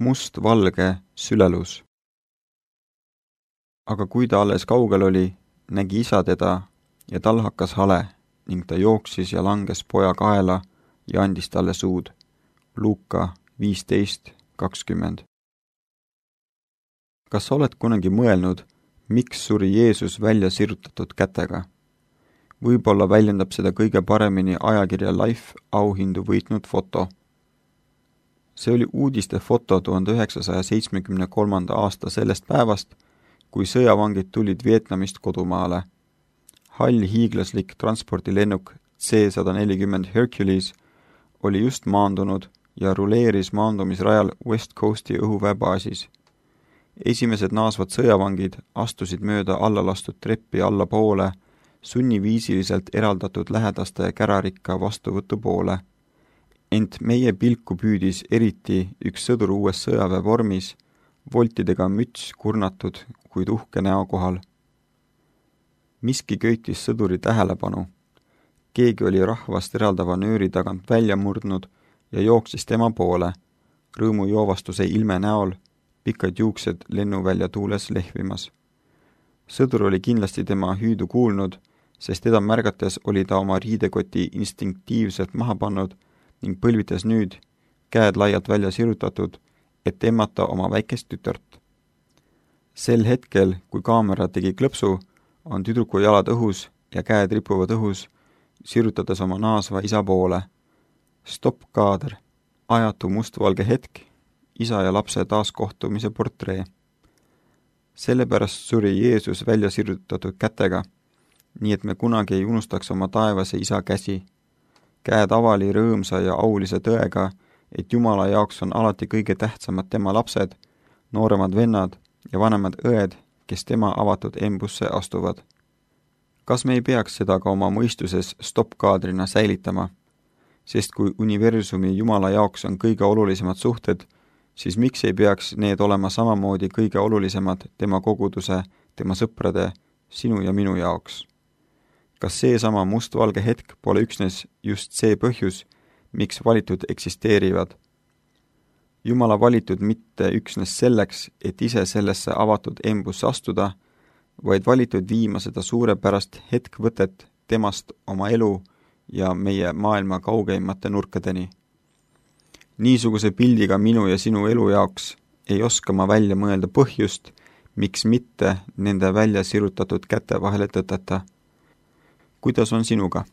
must-valge sülelus. Aga kui ta alles kaugel oli, nägi isa teda ja tal hakkas hale ning ta jooksis ja langes poja kaela ja andis talle suud. Luuka 15:20. Kas sa oled kunagi mõelnud, miks suri Jeesus välja sirutatud kätega? Võib-olla väljendab seda kõige paremini ajakirja Life auhindu võitnud foto. See oli uudiste foto 1973. aasta sellest päevast, kui sõjavangid tulid Vietnamist kodumaale. Hall hiiglaslik transpordilennuk C-140 Hercules oli just maandunud ja ruleeris maandumisrajal West Coasti õhuväebaasis. Esimesed naasvad sõjavangid astusid mööda allalastud treppi allapoole, sunniviisiliselt eraldatud lähedaste kärarikka vastuvõtu poole. Ent meie pilku püüdis eriti üks sõdur uues sõjaväevormis, voltidega müts kurnatud, kuid uhke näo kohal. Miski köitis sõduri tähelepanu. Keegi oli rahvast eraldava nööri tagant välja murdnud ja jooksis tema poole, rõõmujoovastuse ilme näol, pikad juuksed lennuvälja tuules lehvimas. Sõdur oli kindlasti tema hüüdu kuulnud, sest teda märgates oli ta oma riidekoti instinktiivselt maha pannud ning põlvitas nüüd, käed laialt välja sirutatud, et emmata oma väikest tütart. Sel hetkel, kui kaamera tegi klõpsu, on tüdruku jalad õhus ja käed ripuvad õhus, sirutades oma naasva isa poole. Stopp-kaader, ajatu mustvalge hetk, isa ja lapse taaskohtumise portree. Sellepärast suri Jeesus välja sirutatud kätega, nii et me kunagi ei unustaks oma taevase isa käsi. Käed avali rõõmsa ja aulise tõega, et Jumala jaoks on alati kõige tähtsamad tema lapsed, nooremad vennad ja vanemad õed, kes tema avatud embusse astuvad. Kas me ei peaks seda ka oma mõistuses stopp-kaadrina säilitama? Sest kui universumi Jumala jaoks on kõige olulisemad suhted, siis miks ei peaks need olema samamoodi kõige olulisemad tema koguduse, tema sõprade, sinu ja minu jaoks? Kas seesama mustvalge hetk pole üksnes just see põhjus, miks valitud eksisteerivad? Jumala valitud mitte üksnes selleks, et ise sellesse avatud embusse astuda, vaid valitud viima seda suurepärast hetkvõtet temast oma elu ja meie maailma kaugeimate nurkadeni. Niisuguse pildiga minu ja sinu elu jaoks ei oska ma välja mõelda põhjust, miks mitte nende välja sirutatud käte vahele tõtata. Kuidas on sinuga?